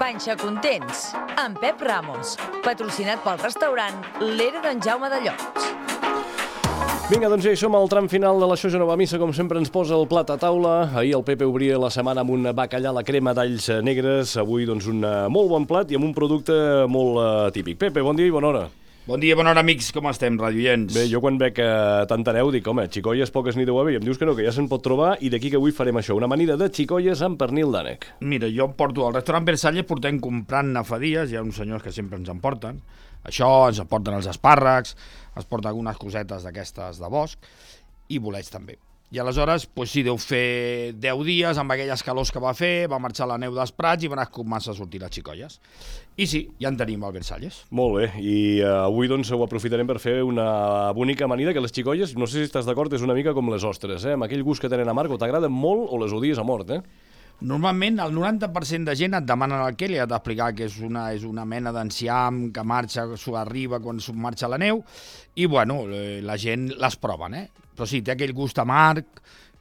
Panxa Contents, amb Pep Ramos, patrocinat pel restaurant L'Era d'en Jaume de Llots. Vinga, doncs ja hi som al tram final de la Xoja Nova Missa, com sempre ens posa el plat a taula. Ahir el Pepe obria la setmana amb un bacallà a la crema d'alls negres, avui doncs un molt bon plat i amb un producte molt típic. Pepe, bon dia i bona hora. Bon dia, bona hora, amics. Com estem, radioients? Bé, jo quan veig tanta neu dic, home, xicolles poques n'hi deu haver, i em dius que no, que ja se'n pot trobar, i d'aquí que avui farem això, una amanida de xicolles amb pernil d'ànec. Mira, jo porto al restaurant Versalles, portem comprant nafadies, hi ha uns senyors que sempre ens en porten. Això, ens en porten els espàrrecs, es porten algunes cosetes d'aquestes de bosc, i bolets també. I aleshores, doncs sí, deu fer 10 dies amb aquelles calors que va fer, va marxar la neu dels prats i van començar a sortir les xicolles. I sí, ja en tenim al Versalles. Molt bé, i avui doncs ho aprofitarem per fer una bonica amanida que les xicolles, no sé si estàs d'acord, és una mica com les ostres, amb aquell gust que tenen amarg, o t'agraden molt o les odies a mort, Normalment, el 90% de gent et demanen el que li has d'explicar que és una mena d'enciam que marxa, arriba quan marxa la neu, i bueno, la gent les proven, Però sí, té aquell gust amarg,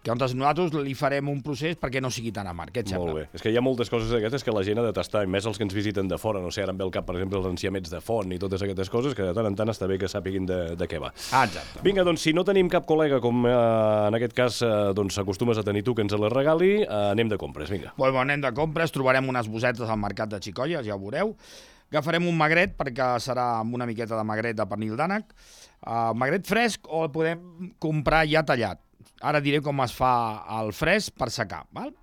que nosaltres li farem un procés perquè no sigui tan amarg. Què et sembla? Molt bé. És que hi ha moltes coses d'aquestes que la gent ha de tastar, i més els que ens visiten de fora. No sé, ara em ve al cap, per exemple, els enciamets de font i totes aquestes coses, que de tant en tant està bé que sàpiguin de què va. Exacte. Vinga, doncs, si no tenim cap col·lega, com en aquest cas doncs acostumes a tenir tu, que ens les regali, anem de compres, vinga. Bueno, anem de compres, trobarem unes bosetes al mercat de xicolles, ja ho veureu. Agafarem un magret, perquè serà amb una miqueta de magret de pernil d'ànec. Magret fresc o el podem comprar ja tallat. Ara diré com es fa el fresc per secar, val?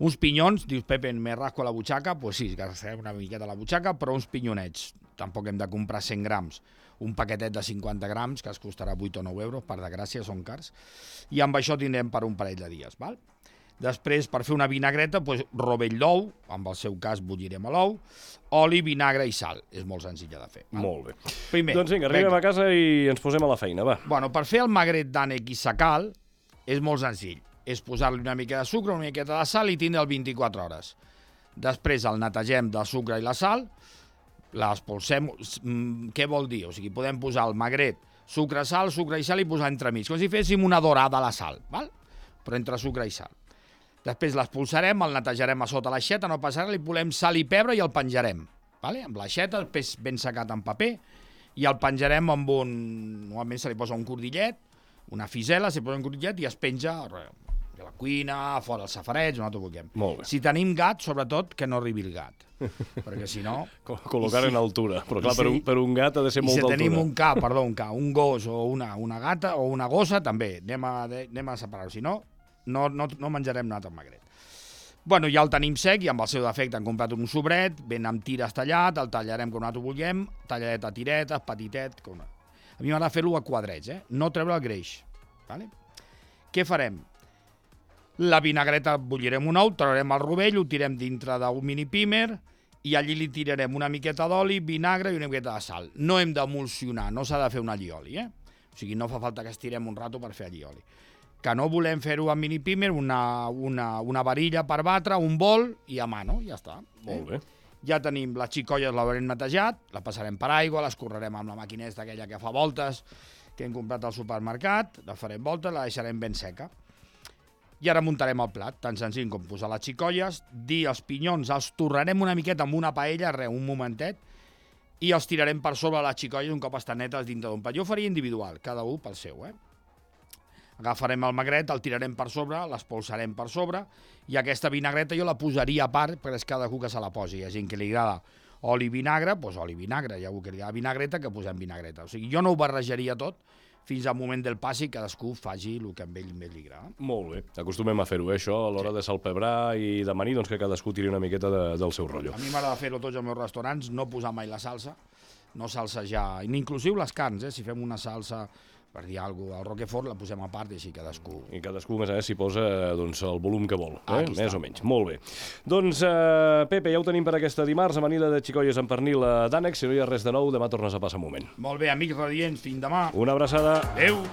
Uns pinyons, dius, Pepe, me rasco la butxaca, doncs sí, gastarem una miqueta a la butxaca, però uns pinyonets. Tampoc hem de comprar 100 grams. Un paquetet de 50 grams, que es costarà 8 o 9 euros, per desgràcia, són cars. I amb això tindrem per un parell de dies, val? Després, per fer una vinagreta, doncs, rovell d'ou, en el seu cas bullirem l'ou, oli, vinagre i sal. És molt senzilla de fer. Val? Molt bé. Primer, doncs vinga, arribem a casa i ens posem a la feina, va. Bueno, per fer el magret d'ànec i secal és molt senzill. És posar-li una mica de sucre, una miqueta de sal i tindre'l 24 hores. Després el netegem del sucre i la sal, l'espolsem. Què vol dir? O sigui, podem posar el magret, sucre i sal i posar entremig, com si féssim una dorada a la sal, val? Però entre sucre i sal. Després l'espolsarem, el netejarem a sota l'aixeta, no passarà, li posem sal i pebre i el penjarem. Vale? Amb l'aixeta, després ben secat en paper, i el penjarem amb un... Normalment se li posa un cordillet, una fisela, s'hi posa un cordillet i es penja a la cuina, a fora els safareig, on vulguem. Molt bé. Si tenim gat, sobretot, que no arribi el gat. Perquè si no... Col·locar en altura. Però clar, per un gat ha de ser molta altura. I si tenim un gos o una gata o una gossa, també. Anem a separar-ho. Si no, no menjarem un altre magret. Bueno, ja el tenim sec i amb el seu defecte hem comprat un sobret, ben amb tires tallat, el tallarem com nosaltres vulguem, talladet a tiretes, petitet... A mi m'agrada fer-lo a quadrets, no treure el greix. Vale? Què farem? La vinagreta bullirem un ou, traurem el rovell, ho tirem dintre d'un mini pímer i allí li tirarem una miqueta d'oli, vinagre i una miqueta de sal. No hem d'emulsionar, no s'ha de fer un allioli, O sigui, no fa falta que estirem un rato per fer allioli. Que no volem fer-ho amb mini pímer, una varilla per batre, un bol i a mano, ja està. Molt bé. Ja tenim les xicolles, l'haurem netejat, la passarem per aigua, l'escorrerem amb la maquineta aquella que fa voltes, que hem comprat al supermercat, la farem voltes, la deixarem ben seca. I ara muntarem el plat, tan senzill com posar les xicolles, dir els pinyons, els torrarem una miqueta amb una paella, un momentet, i els tirarem per sobre les xicolles un cop estan netes dintre d'un plat. Jo faria individual, cada un pel seu, Agafarem el magret, el tirarem per sobre, l'espolsarem per sobre, i aquesta vinagreta jo la posaria a part, perquè és cadascú que se la posi. Hi ha gent que li agrada oli i vinagre, doncs oli i vinagre. Hi ha algú que li agrada vinagreta, que posem vinagreta. O sigui, jo no ho barrejaria tot fins al moment del pas i cadascú faci el que a ell li agrada. Molt bé. Acostumem a fer-ho, això, a l'hora de salpebrar i d'amanir, doncs que cadascú tiri una miqueta del seu rotllo. A mi m'agrada fer-ho tots als meus restaurants, no posar mai la salsa, no salsejar, inclusiu les carns, si fem una salsa... per dir alguna cosa, el Roquefort la posem a part i així cadascú... I cadascú, més a més, s'hi posa doncs, el volum que vol, més o menys. Molt bé. Doncs, Pepe, ja ho tenim per aquesta dimarts, amanida de xicolles amb pernil d'ànec. Si no hi ha res de nou, demà tornes a passar un moment. Molt bé, amics radiants, fins demà. Una abraçada. Adéu.